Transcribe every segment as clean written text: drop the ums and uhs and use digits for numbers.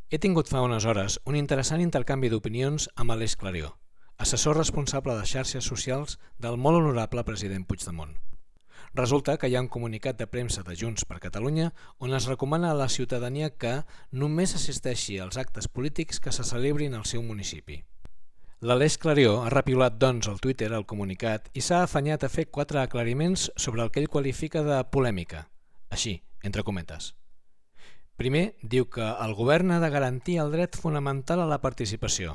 He tingut fa unes hores un interessant intercanvi d'opinions amb Aleix Clarió, assessor responsable de xarxes socials del molt honorable president Puigdemont. Resulta que hi ha un comunicat de premsa de Junts per Catalunya on es recomana a la ciutadania que només assisteixi als actes polítics que se celebrin al seu municipi. L'Aleix Clarió ha repiolat doncs al Twitter el comunicat i s'ha afanyat a fer 4 aclariments sobre el que ell qualifica de polèmica, així, entre cometes. Primer, diu que el govern ha de garantir el dret fonamental a la participació.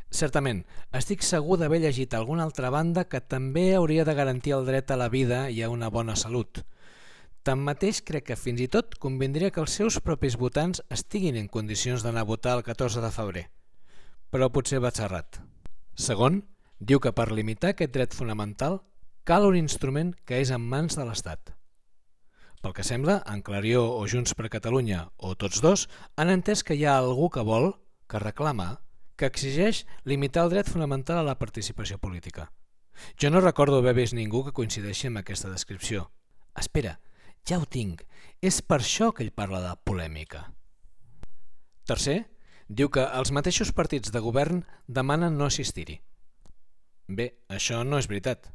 Certament, estic segur d'haver llegit alguna altra banda que també hauria de garantir el dret a la vida i a una bona salut. Tanmateix, crec que fins i tot convindria que els seus propis votants estiguin en condicions d'anar a votar el 14 de febrer. Però potser vaig errat. Segon, diu que per limitar aquest dret fonamental cal un instrument que és en mans de l'Estat. Pel que sembla, en Clarió o Junts per Catalunya, o tots dos, han entès que hi ha algú que vol, que reclama, que exigeix limitar el dret fonamental a la participació política. Jo no recordo haver vist ningú que coincideixi amb aquesta descripció. Espera, ja ho tinc, és per això que ell parla de polèmica. Tercer, diu que els mateixos partits de govern demanen no assistir-hi. Bé, això no és veritat.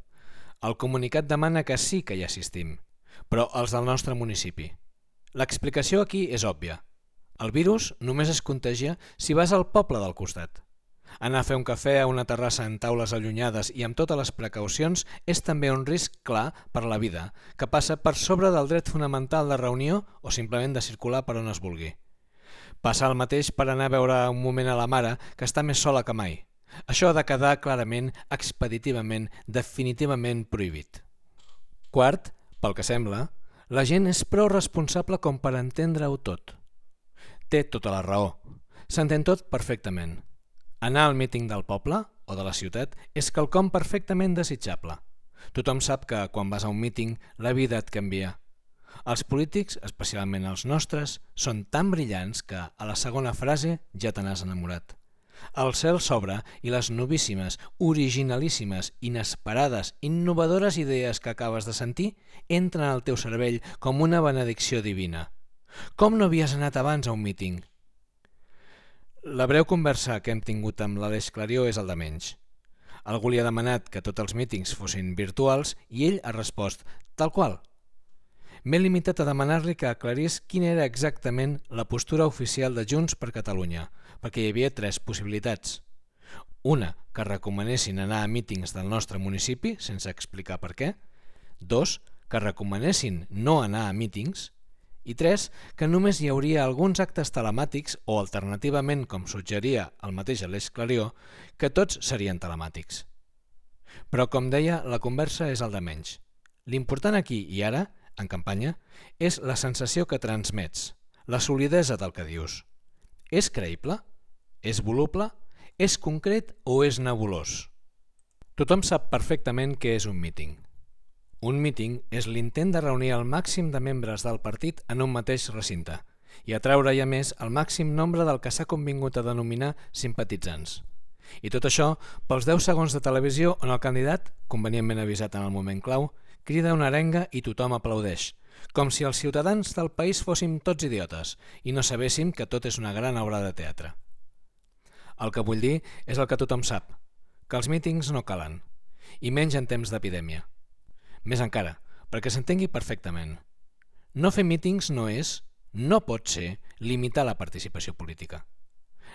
El comunicat demana que sí que hi assistim, però els del nostre municipi. L'explicació aquí és òbvia. El virus només es contagia si vas al poble del costat. Anar a fer un cafè a una terrassa en taules allunyades i amb totes les precaucions és també un risc clar per la vida, que passa per sobre del dret fonamental de reunió o simplement de circular per on es vulgui. Passa el mateix per anar a veure un moment a la mare, que està més sola que mai. Això ha de quedar clarament, expeditivament, definitivament prohibit. Quart, pel que sembla, la gent és prou responsable com per entendre-ho tot. Té tota la raó. S'entén tot perfectament. Anar al míting del poble o de la ciutat és quelcom perfectament desitjable. Tothom sap que quan vas a un míting la vida et canvia. Els polítics, especialment els nostres, són tan brillants que a la segona frase ja te n'has enamorat. El cel s'obre i les novíssimes, originalíssimes, inesperades, innovadores idees que acabes de sentir entren al teu cervell com una benedicció divina. Com no havies anat abans a un míting? La breu conversa que hem tingut amb l'Aleix Clarió és el de menys. Algú li ha demanat que tots els mítings fossin virtuals i ell ha respost tal qual. M'he limitat a demanar-li que aclarís quina era exactament la postura oficial de Junts per Catalunya, perquè hi havia 3 possibilitats. Una, que recomanessin anar a mítings del nostre municipi, sense explicar per què. 2, que recomanessin no anar a mítings. I 3, que només hi hauria alguns actes telemàtics o, alternativament, com suggeria el mateix Aleix Clarió, que tots serien telemàtics. Però, com deia, la conversa és el de menys. L'important aquí i ara, en campanya, és la sensació que transmets, la solidesa del que dius. És creïble? És voluble? És concret o és nebulós? Tothom sap perfectament què és un míting. Un míting és l'intent de reunir el màxim de membres del partit en un mateix recinte i atraure a més el màxim nombre del que s'ha convingut a denominar simpatitzants. I tot això pels 10 segons de televisió on el candidat, convenientment avisat en el moment clau, crida una arenga i tothom aplaudeix, com si els ciutadans del país fóssim tots idiotes i no sabéssim que tot és una gran obra de teatre. El que vull dir és el que tothom sap, que els mítings no calen, i menys en temps d'epidèmia. Més encara, perquè s'entengui perfectament. No fer mítings no pot ser limitar la participació política.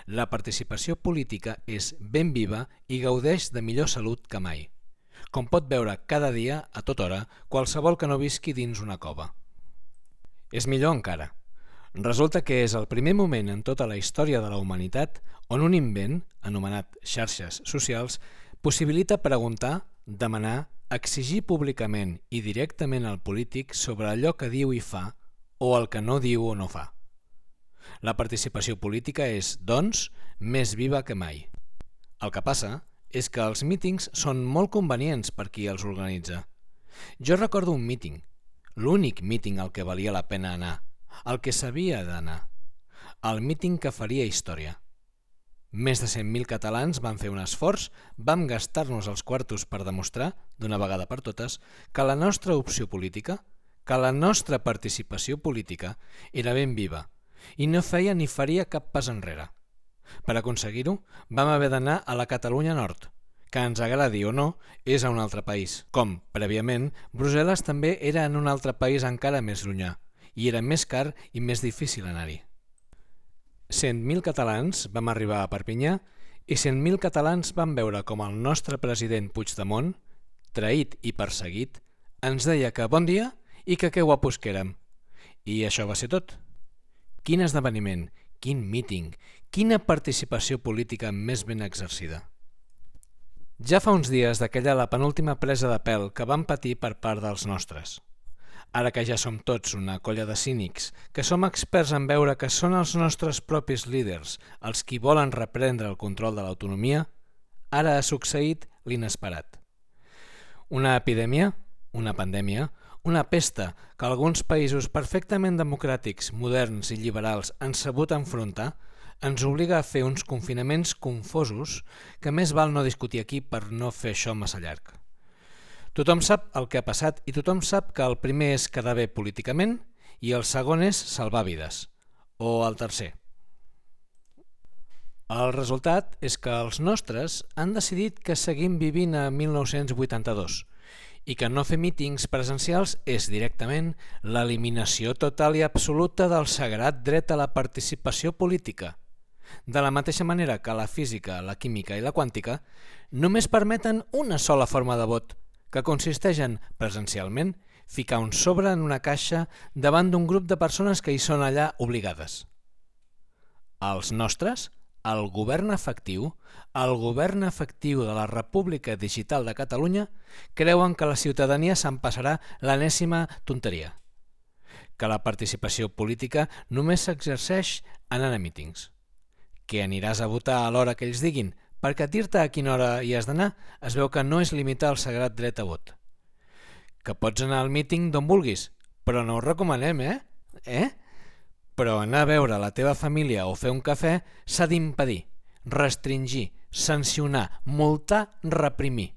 La participació política és ben viva i gaudeix de millor salut que mai, com pot veure cada dia, a tota hora, qualsevol que no visqui dins una cova. És millor encara. Resulta que és el primer moment en tota la història de la humanitat on un invent, anomenat xarxes socials, possibilita preguntar, demanar, exigir públicament i directament al polític sobre allò que diu i fa o el que no diu o no fa. La participació política és, doncs, més viva que mai. El que passa és que els mítings són molt convenients per qui els organitza. Jo recordo un míting, l'únic míting al que valia la pena anar, el que s'havia d'anar, el míting que faria història. Més de 100.000 catalans van fer un esforç, vam gastar-nos els quartos per demostrar, d'una vegada per totes, que la nostra opció política, que la nostra participació política era ben viva i no feia ni faria cap pas enrere. Per aconseguir-ho, vam haver d'anar a la Catalunya Nord, que ens agradi o no, és a un altre país. Com, prèviament, Brussel·les també era en un altre país encara més llunyà, i era més car i més difícil anar-hi. 100.000 catalans vam arribar a Perpinyà i 100.000 catalans van veure com el nostre president Puigdemont, traït i perseguit, ens deia que bon dia i que guapos que érem. I això va ser tot. Quin esdeveniment, quin míting, quina participació política més ben exercida. Ja fa uns dies d'aquella la penúltima presa de pèl que vam patir per part dels nostres. Ara que ja som tots una colla de cínics, que som experts en veure que són els nostres propis líders els qui volen reprendre el control de l'autonomia, ara ha succeït l'inesperat. Una epidèmia, una pandèmia, una pesta que alguns països perfectament democràtics, moderns i liberals han sabut enfrontar, ens obliga a fer uns confinaments confosos que més val no discutir aquí per no fer això massa llarg. Tothom sap el que ha passat i tothom sap que el primer és quedar bé políticament i el segon és salvar vides, o el tercer. El resultat és que els nostres han decidit que seguim vivint a 1982 i que no fer mítings presencials és directament l'eliminació total i absoluta del sagrat dret a la participació política. De la mateixa manera que la física, la química i la quàntica només permeten una sola forma de vot, que consisteix en, presencialment, ficar un sobre en una caixa davant d'un grup de persones que hi són allà obligades. Els nostres, el govern efectiu de la República Digital de Catalunya, creuen que la ciutadania se'n passarà l'enèsima tonteria, que la participació política només s'exerceix anant a mítings, que aniràs a votar a l'hora que ells diguin, perquè dir-te a quina hora hi has d'anar es veu que no és limitar el sagrat dret a vot. Que pots anar al míting d'on vulguis, però no ho recomanem, Però anar a veure la teva família o fer un cafè s'ha d'impedir, restringir, sancionar, multar, reprimir.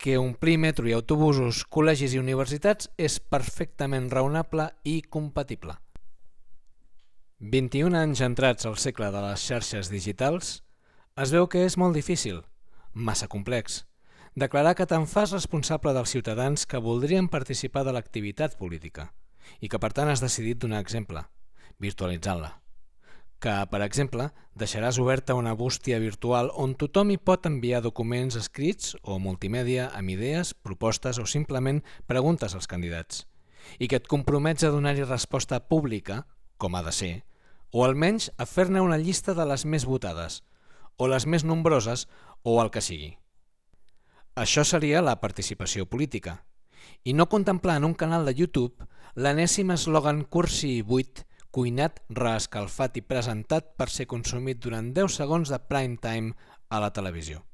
Que omplir metro i autobusos, col·legis i universitats és perfectament raonable i compatible. 21 anys entrats al segle de les xarxes digitals, es veu que és molt difícil, massa complex, declarar que te'n fas responsable dels ciutadans que voldrien participar de l'activitat política i que per tant has decidit donar exemple, virtualitzant-la. Que, per exemple, deixaràs oberta una bústia virtual on tothom hi pot enviar documents escrits o multimèdia amb idees, propostes o simplement preguntes als candidats i que et compromets a donar-hi resposta pública, com ha de ser, o almenys a fer-ne una llista de les més votades, o les més nombroses, o el que sigui. Això seria la participació política, i no contemplar en un canal de YouTube l'enèsim eslògan cursi i buit, cuinat, reescalfat i presentat per ser consumit durant 10 segons de prime time a la televisió.